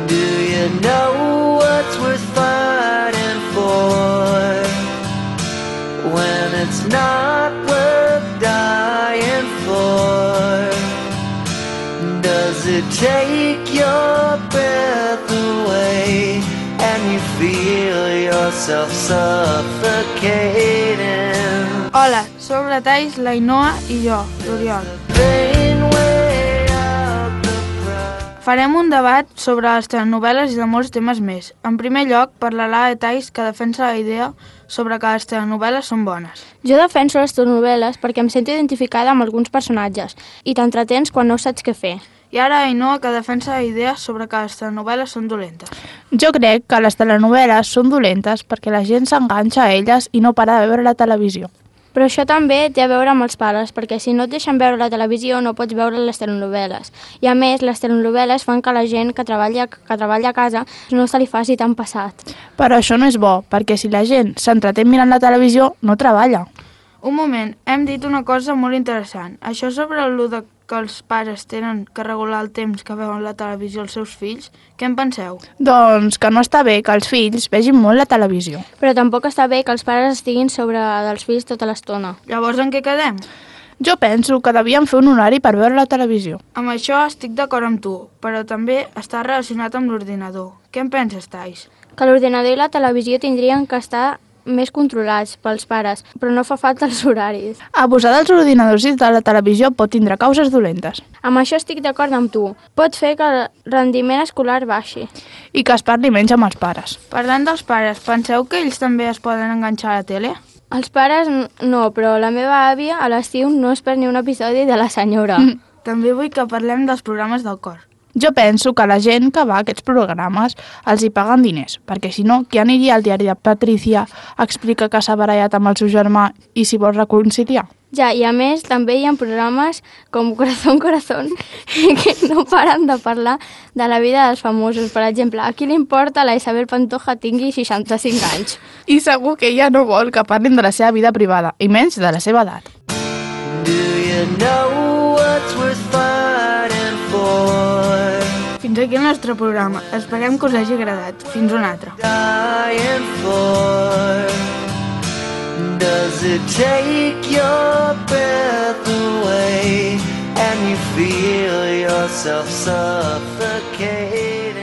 Do you know what's worth fighting for when it's not worth dying for? Does it take your breath away and you feel yourself suffocating? Hola, som la Thais, la Ainhoa i jo, l'Oriol. Farem un debat sobre les telenovel·les i de molts temes més. En primer lloc, parlarà la Thais, que defensa la idea sobre que les telenovel·les són bones. Jo defenso les telenovel·les perquè em sento identificada amb alguns personatges i t'entretens quan no saps què fer. I ara Ainhoa, que defensa la idea sobre que les telenovel·les són dolentes. Jo crec que les telenovel·les són dolentes perquè la gent s'enganxa a elles i no para de veure la televisió. Però això també té a veure amb els pares, perquè si no et deixen veure la televisió no pots veure les telenovel·les. I a més, les telenovel·les fan que la gent que treballa a casa no se li faci tan passat. Però això no és bo, perquè si la gent s'entretén mirant la televisió, no treballa. Un moment, hem dit una cosa molt interessant. Això sobre el que els pares tenen que regular el temps que veuen la televisió als seus fills, què en penseu? Doncs que no està bé que els fills vegin molt la televisió. Però tampoc està bé que els pares estiguin sobre dels fills tota l'estona. Llavors en què quedem? Jo penso que devíem fer un horari per veure la televisió. Amb això estic d'acord amb tu, però també està relacionat amb l'ordinador. Què en penses, Thais? Que l'ordinador i la televisió tindrien que estar més controlats pels pares, però no fa falta els horaris. Abusar dels ordinadors i de la televisió pot tindre causes dolentes. Amb això estic d'acord amb tu. Pot fer que el rendiment escolar baixi. I que es parli menys amb els pares. Parlant dels pares, penseu que ells també es poden enganxar a la tele? Els pares no, però la meva àvia a l'estiu no es perd ni un episodi de La Senyora. També vull que parlem dels programes del cor. Jo penso que la gent que va a aquests programes els hi paguen diners, perquè si no, qui aniria al diari de Patricia a explicar que s'ha barallat amb el seu germà i s'hi vol reconciliar? Ja, i a més també hi ha programes com Corazón, que no paren de parlar de la vida dels famosos. Per exemple, a qui li importa la Isabel Pantoja tingui 65 anys? I segur que ella no vol que parlin de la seva vida privada, i menys de la seva edat. Do you know what's worth fighting for? Fins aquí el nostre programa. Esperem que us hagi agradat. Fins un altre. Dying for? Does it take your breath away and you feel yourself suffocating?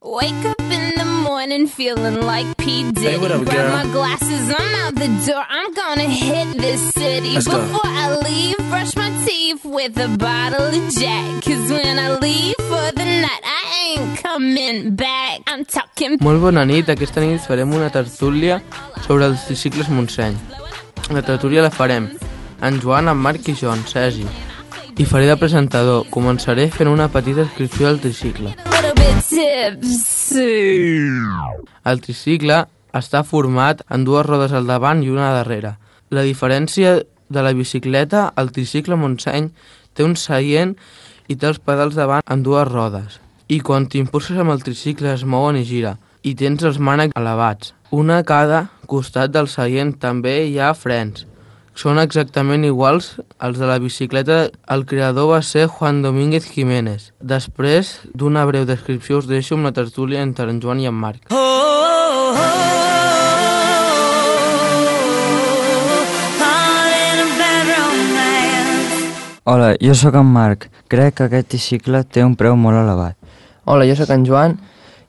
Wake up in the morning feeling like P. Diddy. Hey, what up, Grab girl? my glasses, I'm out the door. I'm gonna hit this city. Let's go. Before I leave, brush my teeth with a bottle of Jack. 'Cause when I leave for the night, I ain't coming back. I'm talking... Molt bona nit, aquesta nit farem una tertúlia sobre els tricicles Montseny. La tertúlia la farem en Joan, en Marc i jo, en Sergi. I faré de presentador. Començaré fent una petita descripció del tricicle. little bit tipsy. El tricicle està format en dues rodes al davant i una darrere. La diferència de la bicicleta, el tricicle Montseny té un seient i té els pedals davant en dues rodes. I quan t'impulses amb el tricicle es mouen i gira. I tens els mànecs elevats. Una a cada costat del seient. També hi ha frens. Són exactament iguals als de la bicicleta. El creador va ser Juan Domínguez Jiménez. Després d'una breu descripció us deixo amb la tertúlia entre en Joan i en Marc. Hola, jo sóc en Marc. Crec que aquest tricicle té un preu molt elevat. Hola, jo sóc en Joan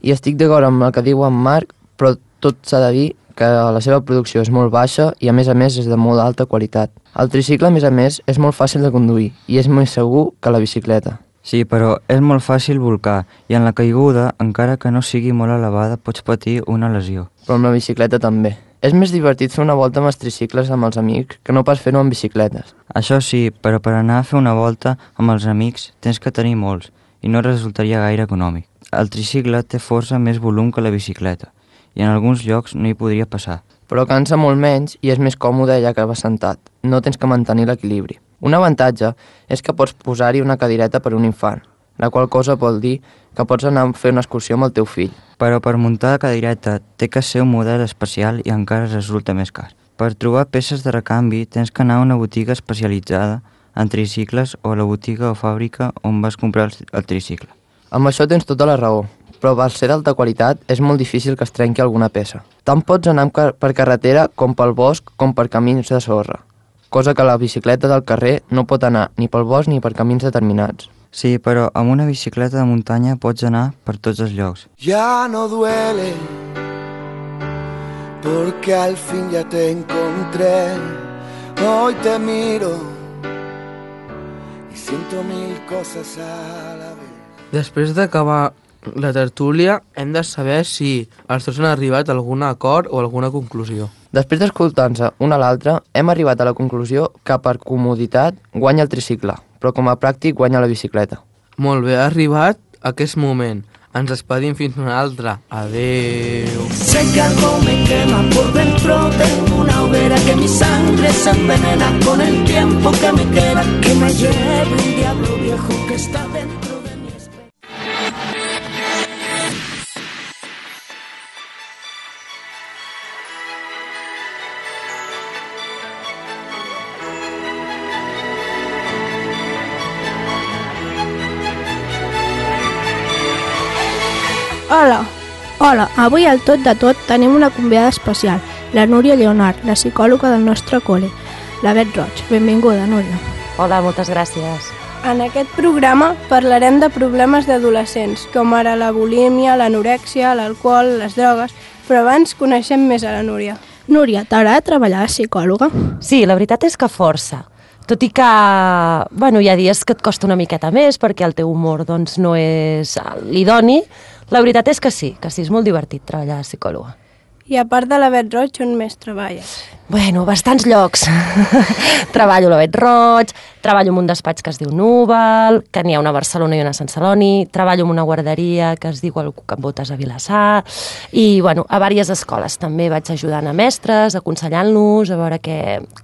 i estic d'acord amb el que diu en Marc, però tot s'ha de dir que la seva producció és molt baixa i a més és de molt alta qualitat. El tricicle, a més, és molt fàcil de conduir i és més segur que la bicicleta. Sí, però és molt fàcil volcar i en la caiguda, encara que no sigui molt elevada, pots patir una lesió. Però amb la bicicleta també. És més divertit fer una volta amb els tricicles amb els amics que no pas fer-ho amb bicicletes. Això sí, però per anar a fer una volta amb els amics tens que tenir molts i no resultaria gaire econòmic. El tricicle té força més volum que la bicicleta i en alguns llocs no hi podria passar. Però cansa molt menys i és més còmode ja que vas sentat. No tens que mantenir l'equilibri. Un avantatge és que pots posar-hi una cadireta per un infant, la qual cosa vol dir que pots anar a fer una excursió amb el teu fill. Però per muntar la cadireta té que ser un model especial i encara resulta més car. Per trobar peces de recanvi tens que anar a una botiga especialitzada en tricicles o a la botiga o fàbrica on vas comprar el tricicle. Amb això tens tota la raó, però per ser d'alta qualitat és molt difícil que es trenqui alguna peça. Tant pots anar per carretera com pel bosc com per camins de sorra, cosa que la bicicleta del carrer no pot anar ni pel bosc ni per camins determinats. Sí, però amb una bicicleta de muntanya pots anar per tots els llocs. Ya no duele, porque al fin ya te encontré. Hoy te miro y siento mil cosas a la vez. Després d'acabar la tertúlia, hem de saber si els dos han arribat a algun acord o alguna conclusió. Després d'escoltar-nos un a l'altre, hem arribat a la conclusió que per comoditat guanya el tricicle, però com a pràctic guanya la bicicleta. Molt bé, ha arribat aquest moment. Ens despedim fins una altra. Adeu. Sé que algo me quema por dentro, tengo una hoguera que mi sangre se envenena con el tiempo que me queda, que me lleve un diablo viejo que está dentro de mi espejo. Hola, avui al Tot de Tot tenim una convidada especial, la Núria Lleonard, la psicòloga del nostre col·le, la Bet Roig. Benvinguda, Núria. Hola, moltes gràcies. En aquest programa parlarem de problemes d'adolescents, com ara la bulímia, l'anorèxia, l'alcohol, les drogues, però abans coneixem més a la Núria. Núria, t'agrada treballar de psicòloga? Sí, la veritat és que força. Tot i que, hi ha dies que et costa una miqueta més perquè el teu humor no és l'idoni, la veritat és que sí, és molt divertit treballar de psicòloga. I a part de la Bet Roig, on més treballes? Bastants llocs. Treballo a la Bet Roig, treballo en un despatx que es diu Núvol, que n'hi ha una a Barcelona i una a Sant Celoni, treballo en una guarderia que es diu El Cuc amb Botes a Vilassar, i a diverses escoles també vaig ajudant a mestres, aconsellant-los, a veure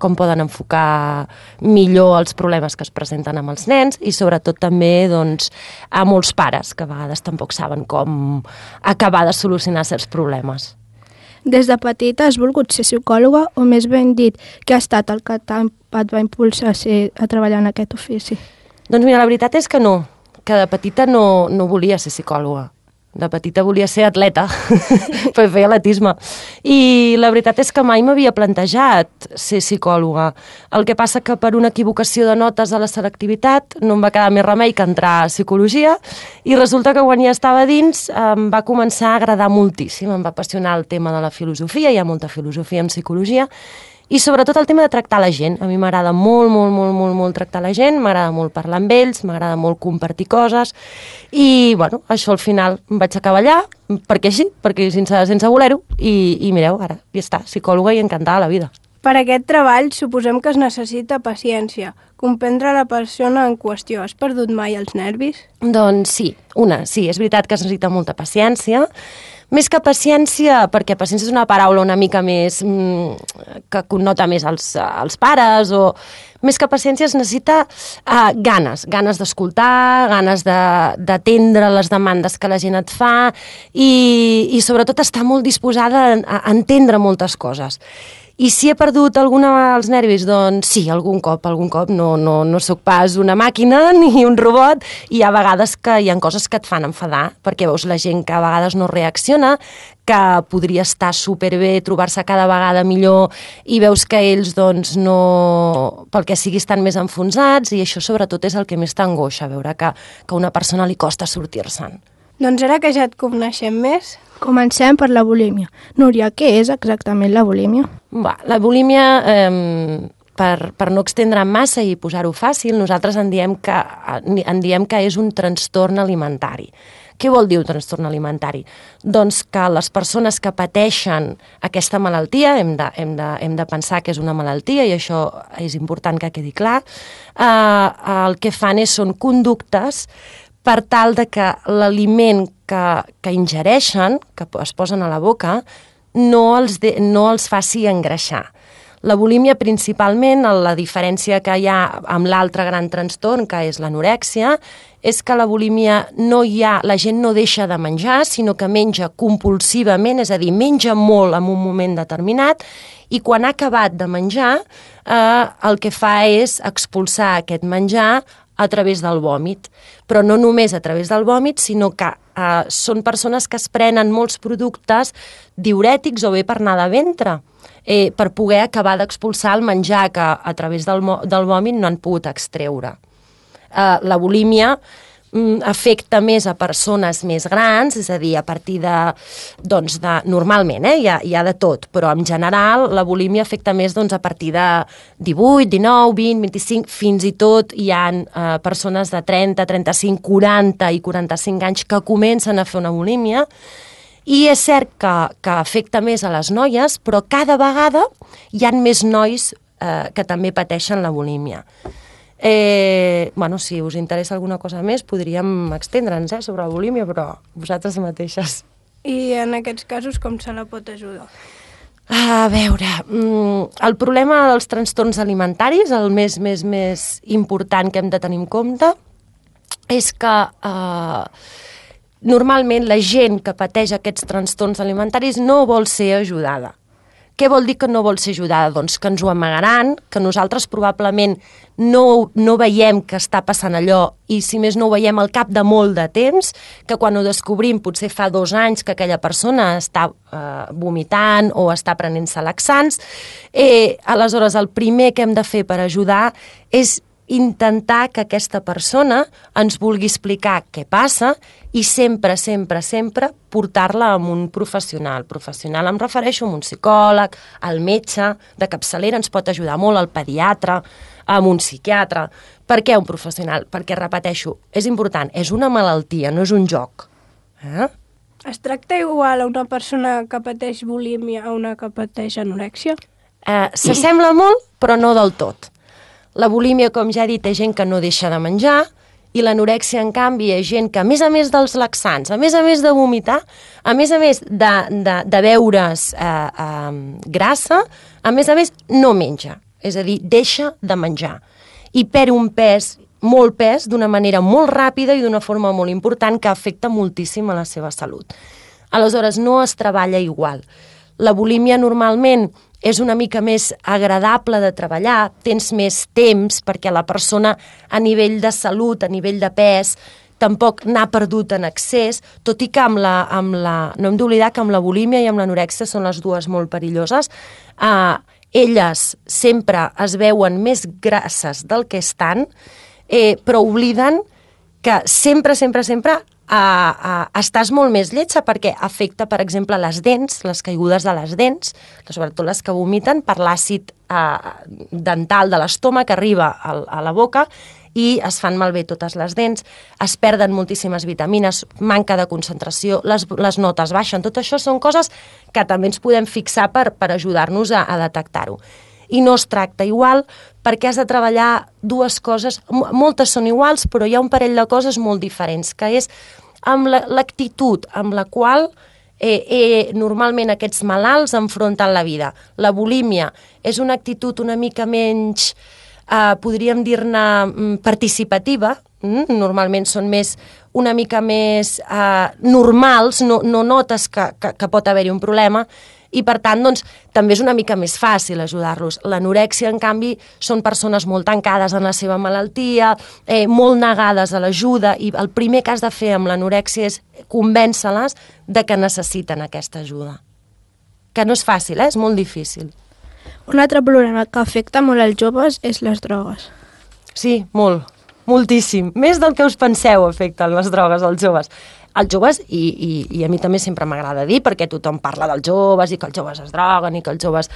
com poden enfocar millor els problemes que es presenten amb els nens, i sobretot també a molts pares, que a vegades tampoc saben com acabar de solucionar certs problemes. Des de petita has volgut ser psicòloga o més ben dit, què ha estat el que et va impulsar a treballar en aquest ofici? Doncs mira, la veritat és que no, que de petita no volia ser psicòloga. De petita volia ser atleta, per fer atletisme. I la veritat és que mai m'havia plantejat ser psicòloga. El que passa que per una equivocació de notes a la selectivitat no em va quedar més remei que entrar a psicologia, i resulta que quan ja estava dins em va començar a agradar moltíssim, em va apassionar el tema de la filosofia, hi ha molta filosofia en psicologia, i sobretot el tema de tractar la gent. A mi m'agrada molt tractar la gent, m'agrada molt parlar amb ells, m'agrada molt compartir coses, i això al final em vaig acabar allà, perquè sense voler-ho, i mireu, ara ja està, psicòloga i encantada la vida. Per aquest treball suposem que es necessita paciència, comprendre la persona en qüestió. Has perdut mai els nervis? Doncs sí, és veritat que es necessita molta paciència. Més que paciència, perquè paciència és una paraula una mica més que connota més als pares, o més que paciència es necessita ganes d'escoltar, ganes d'atendre les demandes que la gent et fa, i sobretot estar molt disposada a entendre moltes coses. I si he perdut els nervis? Doncs sí, algun cop. No sóc pas una màquina ni un robot, i hi ha vegades que hi ha coses que et fan enfadar, perquè veus la gent que a vegades no reacciona, que podria estar superbé, trobar-se cada vegada millor, i veus que ells no, pel que sigui, estan més enfonsats, i això sobretot és el que més t'angoixa, veure que a una persona li costa sortir-se'n. Doncs ara que ja et coneixem més, comencem per la bulímia. Núria, què és exactament la bulímia? La bulímia, per no extendre'm massa i posar-ho fàcil, nosaltres en diem que és un trastorn alimentari. Què vol dir un trastorn alimentari? Doncs que les persones que pateixen aquesta malaltia, hem de pensar que és una malaltia, i això és important que quedi clar, el que fan són conductes per tal de que l'aliment que ingereixen, que es posen a la boca, no els faci engreixar. La bulímia, principalment, la diferència que hi ha amb l'altre gran trastorn, que és l'anorèxia, és que la bulímia la gent no deixa de menjar, sinó que menja compulsivament, és a dir, menja molt en un moment determinat, i quan ha acabat de menjar, el que fa és expulsar aquest menjar a través del vòmit. Però no només a través del vòmit, sinó que són persones que es prenen molts productes diurètics o bé per anar de ventre, per poder acabar d'expulsar el menjar que a través del vòmit no han pogut extreure. La bulímia afecta més a persones més grans, és a dir, a partir de normalment, hi ha de tot, però en general la bulímia afecta més a partir de 18, 19, 20, 25, fins i tot hi ha persones de 30, 35, 40 i 45 anys que comencen a fer una bulímia, i és cert que afecta més a les noies, però cada vegada hi ha més nois que també pateixen la bulímia. Si us interessa alguna cosa més podríem extendre'ns sobre la bulímia, però vosaltres mateixes. I en aquests casos com se la pot ajudar? A veure, el problema dels trastorns alimentaris, el més important que hem de tenir en compte, és que normalment la gent que pateix aquests trastorns alimentaris no vol ser ajudada. Què vol dir que no vol ser ajudada? Doncs que ens ho amagaran, que nosaltres probablement no veiem que està passant allò i si més no ho veiem al cap de molt de temps, que quan ho descobrim potser fa 2 anys que aquella persona està vomitant o està prenent-se laxants. Aleshores, el primer que hem de fer per ajudar és intentar que aquesta persona ens vulgui explicar què passa i sempre portar-la a un professional. Professional em refereixo a un psicòleg, al metge de capçalera ens pot ajudar molt, al pediatre, a un psiquiatre. Per què un professional? Perquè, repeteixo, és important, és una malaltia, no és un joc. Es tracta igual a una persona que pateix bulímia a una que pateix anorèxia? S'assembla molt, però no del tot. La bulímia, com ja he dit, és gent que no deixa de menjar i l'anorèxia, en canvi, és gent que, a més dels laxants, a més de vomitar, a més de beure's grassa, a més no menja, és a dir, deixa de menjar. I perd un pes, molt pes, d'una manera molt ràpida i d'una forma molt important que afecta moltíssim a la seva salut. Aleshores, no es treballa igual. La bulímia normalment és una mica més agradable de treballar, tens més temps perquè la persona a nivell de salut, a nivell de pes, tampoc n'ha perdut en excés, tot i que no hem d'oblidar que amb la bulímia i amb l'anorèxia són les dues molt perilloses. Elles sempre es veuen més grasses del que estan, però obliden que sempre estàs molt més lletja perquè afecta, per exemple, les dents, les caigudes de les dents, sobretot les que vomiten per l'àcid dental de l'estómac que arriba a la boca i es fan malbé totes les dents, es perden moltíssimes vitamines, manca de concentració, les notes baixen. Tot això són coses que també ens podem fixar per ajudar-nos a detectar-ho. I no es tracta igual perquè has de treballar dues coses, moltes són iguals, però hi ha un parell de coses molt diferents, que és amb l'actitud amb la qual normalment aquests malalts enfronten la vida. La bulímia és una actitud una mica menys, podríem dir-ne, participativa, normalment són una mica més normals, no notes que pot haver-hi un problema, i per tant doncs, també és una mica més fàcil ajudar-los. L'anorèxia, en canvi, són persones molt tancades en la seva malaltia, molt negades a l'ajuda, i el primer que has de fer amb l'anorèxia és convèncer-les de que necessiten aquesta ajuda. Que no és fàcil, és molt difícil. Un altre problema que afecta molt als joves és les drogues. Sí, moltíssim. Més del que us penseu afecten les drogues als joves. Els joves, i a mi també sempre m'agrada dir, perquè tothom parla dels joves i que els joves es droguen i que els joves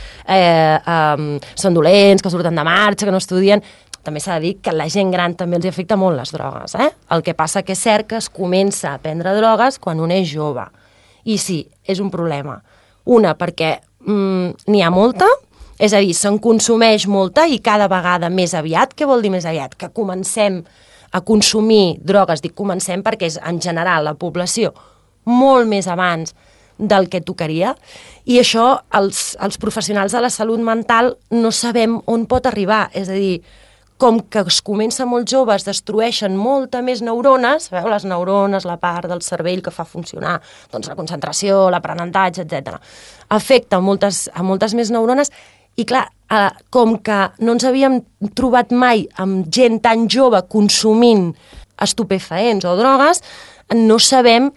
són dolents, que surten de marxa, que no estudien. També s'ha de dir que la gent gran també els afecta molt les drogues. El que passa que és cert que es comença a prendre drogues quan un és jove. I sí, és un problema. Una, perquè n'hi ha molta, és a dir, se'n consumeix molta i cada vegada més aviat. Què vol dir més aviat? Que comencem a consumir drogues, dic comencem perquè és en general la població molt més abans del que tocaria, i això els professionals de la salut mental no sabem on pot arribar, és a dir, com que es comença molt jove, es destrueixen molta més neurones, sabeu, les neurones, la part del cervell que fa funcionar doncs, la concentració, l'aprenentatge, etc. Afecta a moltes més neurones i, clar, com que no ens havíem trobat mai amb gent tan jove consumint estupefaents o drogues, no sabem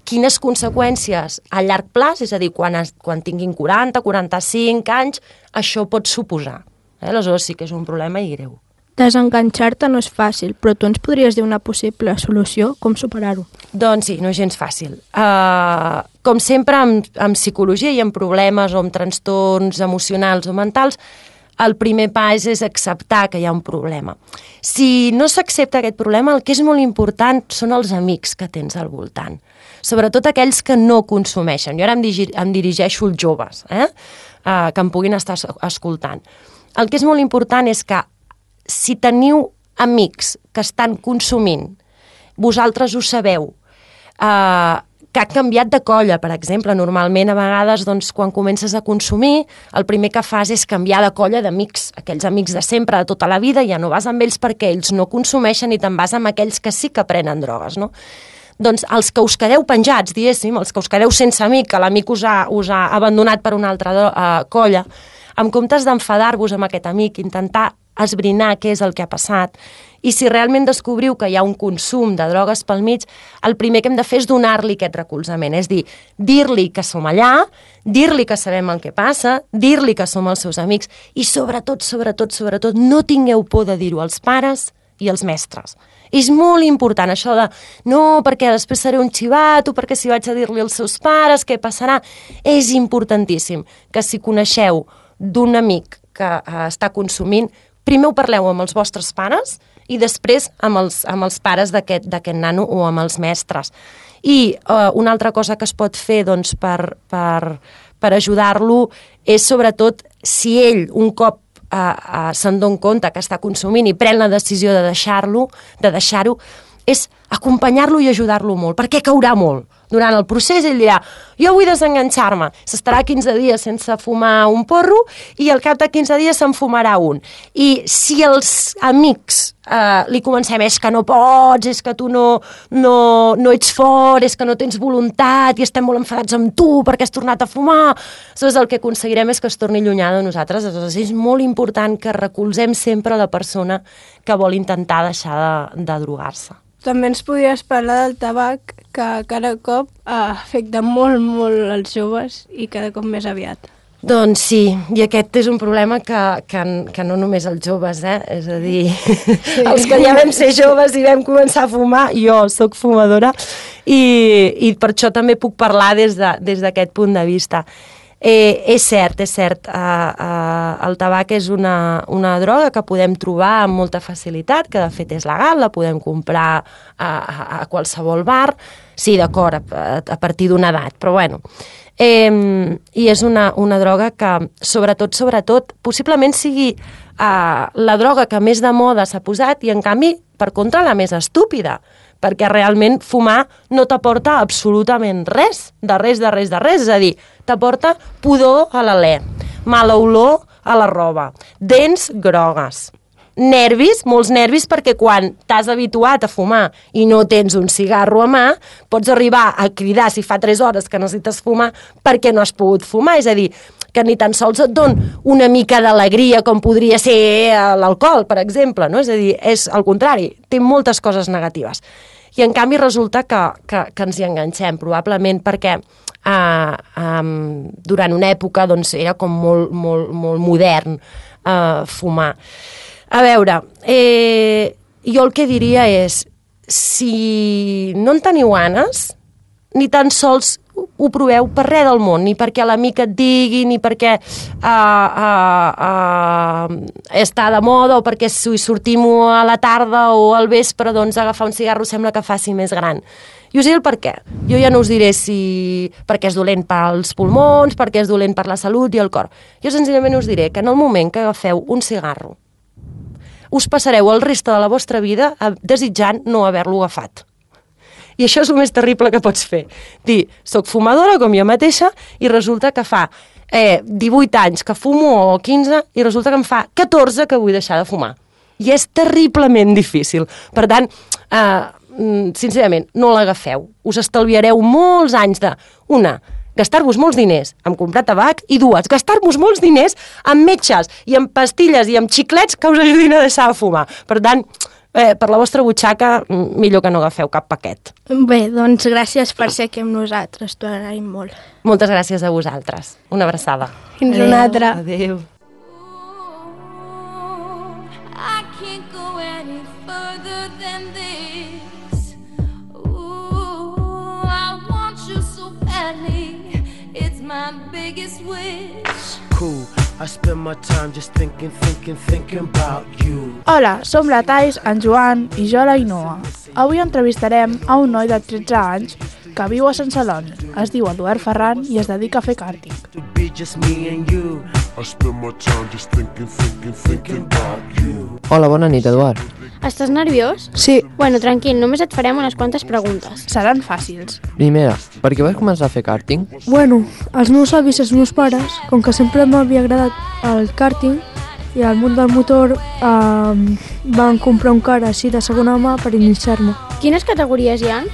quines conseqüències a llarg plaç, és a dir, quan tinguin 40, 45 anys, això pot suposar. Aleshores sí que és un problema i greu. Desenganxar-te no és fàcil, però tu ens podries dir una possible solució? Com superar-ho? Doncs sí, no és gens fàcil. Com sempre, en psicologia i en problemes o en trastorns emocionals o mentals, el primer pas és acceptar que hi ha un problema. Si no s'accepta aquest problema, el que és molt important són els amics que tens al voltant. Sobretot aquells que no consumeixen. Jo ara em dirigeixo als joves, que em puguin estar escoltant. El que és molt important és que si teniu amics que estan consumint, vosaltres ho sabeu, que ha canviat de colla, per exemple. Normalment, a vegades, doncs, quan comences a consumir, el primer que fas és canviar de colla d'amics. Aquells amics de sempre, de tota la vida, ja no vas amb ells perquè ells no consumeixen i te'n vas amb aquells que sí que prenen drogues, no? Doncs els que us quedeu penjats, diguéssim, els que us quedeu sense amic, que l'amic us ha abandonat per una altra colla, en comptes d'enfadar-vos amb aquest amic, intentar esbrinar què és el que ha passat, i si realment descobriu que hi ha un consum de drogues pel mig, el primer que hem de fer és donar-li aquest recolzament, és dir, dir-li que som allà, dir-li que sabem el que passa, dir-li que som els seus amics, i sobretot, no tingueu por de dir-ho als pares i als mestres. És molt important això de no, perquè després seré un xivat o perquè si vaig a dir-li als seus pares què passarà. És importantíssim que si coneixeu d'un amic que està consumint, primer ho parleu amb els vostres pares i després amb els pares d'aquest nano o amb els mestres. I una altra cosa que es pot fer doncs, per ajudar-lo és sobretot si ell un cop se'n dona compte que està consumint i pren la decisió de deixar-ho, és acompanyar-lo i ajudar-lo molt, perquè caurà molt. Durant el procés ell dirà, jo vull desenganxar-me, s'estarà 15 dies sense fumar un porro i al cap de 15 dies se'n fumarà un. I si els amics li comencem, és que no pots, és que tu no ets fort, és que no tens voluntat i estem molt enfadats amb tu perquè has tornat a fumar, aleshores el que aconseguirem és que es torni llunyà de nosaltres. Aleshores és molt important que recolzem sempre la persona que vol intentar deixar de drogar-se. També ens podries parlar del tabac, que cada cop afecta molt, molt els joves i cada cop més aviat. Doncs sí, i aquest és un problema que no només els joves, és a dir, sí. Els que ja vam ser joves i vam començar a fumar, jo sóc fumadora i per això també puc parlar des d'aquest punt de vista. És cert, el tabac és una droga que podem trobar amb molta facilitat, que de fet és legal, la podem comprar a qualsevol bar, sí, d'acord, a partir d'una edat, però bueno. I és una droga que, sobretot, possiblement sigui la droga que més de moda s'ha posat i, en canvi, per contra, la més estúpida, perquè realment fumar no t'aporta absolutament res, és a dir, t'aporta pudor a l'alè, mala olor a la roba, dents grogues, nervis, molts nervis, perquè quan t'has habituat a fumar i no tens un cigarro a mà, pots arribar a cridar si fa 3 hores que necessites fumar perquè no has pogut fumar, és a dir, que ni tan sols et don una mica d'alegria com podria ser l'alcohol, per exemple, no? És a dir, és al contrari, té moltes coses negatives. I en canvi resulta que ens hi enganxem, probablement perquè durant una època doncs, era com molt modern fumar. A veure, jo el que diria és, si no en teniu ganes, ni tan sols ho proveu per res del món, ni perquè l'amic et digui, ni perquè està de moda, o perquè si sortim a la tarda o al vespre, doncs agafar un cigarro sembla que faci més gran. I us diré el per què. Jo ja no us diré si perquè és dolent pels pulmons, perquè és dolent per la salut i el cor. Jo senzillament us diré que en el moment que agafeu un cigarro, us passareu el reste de la vostra vida desitjant no haver-lo agafat. I això és el més terrible que pots fer. Dir, soc fumadora com jo mateixa i resulta que fa 18 anys que fumo o 15 i resulta que em fa 14 que vull deixar de fumar. I és terriblement difícil. Per tant, sincerament, no l'agafeu. Us estalviareu molts anys de, una, gastar-vos molts diners en comprar tabac i dues, gastar-vos molts diners en metges i en pastilles i en xiclets que us ajudin a deixar de fumar. Per tant, per la vostra butxaca, millor que no agafeu cap paquet. Bé, doncs gràcies per ser aquí amb nosaltres, t'ho agraïm molt. Moltes gràcies a vosaltres. Una abraçada. Fins una altra. Adéu. I can't go any further than this. Ooh, I want you so badly. It's my biggest wish. Cool. I spend my time just thinking about you. Hola, som la Thais, en Joan i jo la Inoa. Avui entrevistarem a un noi de 13 anys que viu a Sant Celoni. Es diu Eduard Ferran i es dedica a fer kàrting. Hola, bona nit, Eduard. Estàs nerviós? Sí. Bueno, tranquil, només et farem unes quantes preguntes. Seran fàcils. Primera, per què vas començar a fer kàrting? Bueno, els meus avis i els meus pares, com que sempre m'havia agradat el kàrting i el món del motor, van comprar un car així de segona mà per iniciar-me. Quines categories hi ha?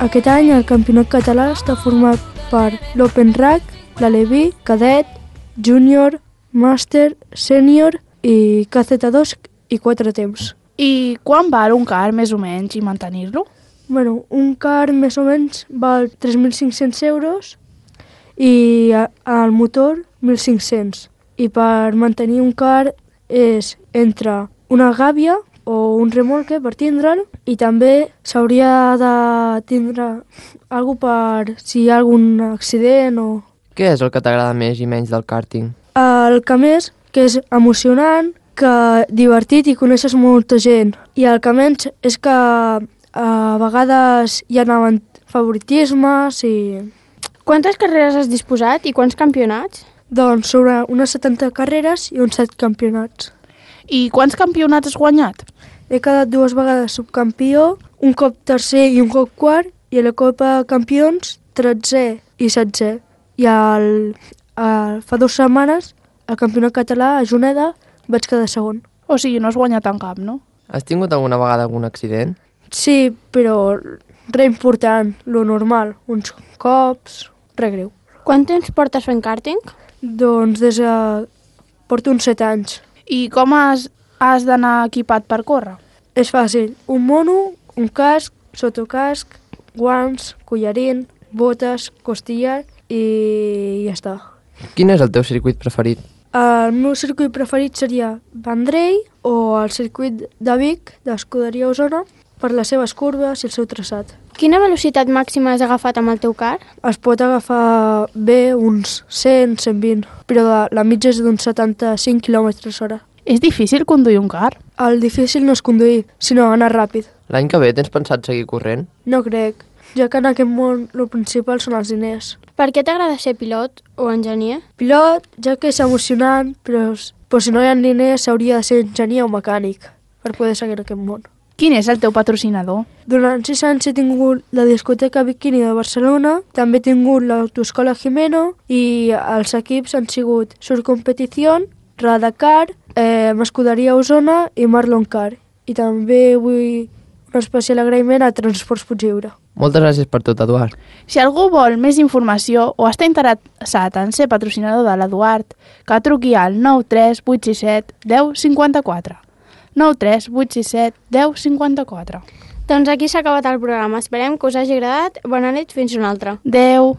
Aquest any el campionat català està format per l'Open Rack, l'Aleví, Cadet, Júnior, Màster, Sènior i KZ2 i 4 temps. I quan val un car, més o menys, i mantenir-lo? Bueno, un car més o menys val 3.500 euros i el motor 1.500. I per mantenir un car és entre una gàbia o un remolque per tindre'l i també s'hauria de tindre alguna per si hi ha algun accident o... Què és el que t'agrada més i menys del kàrting? El que més, que és emocionant, que divertit i coneixes molta gent. I el que menys és que a vegades hi ha favoritismes i... Quantes carreres has disposat i quants campionats? Doncs sobre unes 70 carreres i uns 7 campionats. I quants campionats has guanyat? He quedat 2 vegades subcampió, un cop tercer i un cop quart, i a la Copa Campions 13è i 16è. I fa 2 setmanes, al Campionat Català, a Juneda, vaig quedar segon. O sigui, no has guanyat en cap, no? Has tingut alguna vegada algun accident? Sí, però res important, lo normal. Uns cops, res greu. Quant temps portes fent kàrting? Doncs porto uns 7 anys. I com has d'anar equipat per córrer? És fàcil. Un mono, un casc, sotocasc, guants, collarín, botes, costillar i ja està. Quin és el teu circuit preferit? El meu circuit preferit seria Vendrell o el circuit de Vic, d'Escuderia Osona, per les seves curves i el seu traçat. Quina velocitat màxima has agafat amb el teu car? Es pot agafar bé uns 100, 120, però la mitja és d'uns 75 km/h. És difícil conduir un car? El difícil no és conduir, sinó anar ràpid. L'any que ve tens pensat seguir corrent? No crec, ja que en aquest món el principal són els diners. Per què t'agrada ser pilot o enginyer? Pilot, ja que és emocionant, però si no hi ha diners s'hauria de ser enginyer o mecànic per poder seguir aquest món. Quin és el teu patrocinador? Durant 6 anys he tingut la discoteca Bikini de Barcelona, també he tingut l'autoescola Jimeno i els equips han sigut Sur Competición, Radacar, Escuderia Osona i Marlon Car. I també vull un especial agraïment a Transports Puigdlliure. Moltes gràcies per tot, Eduard. Si algú vol més informació o està interessat en ser patrocinador de l'Eduard, que truqui al 93867 1054. 93867 1054. Doncs aquí s'ha acabat el programa. Esperem que us hagi agradat. Bona nit, fins una altra. Adéu.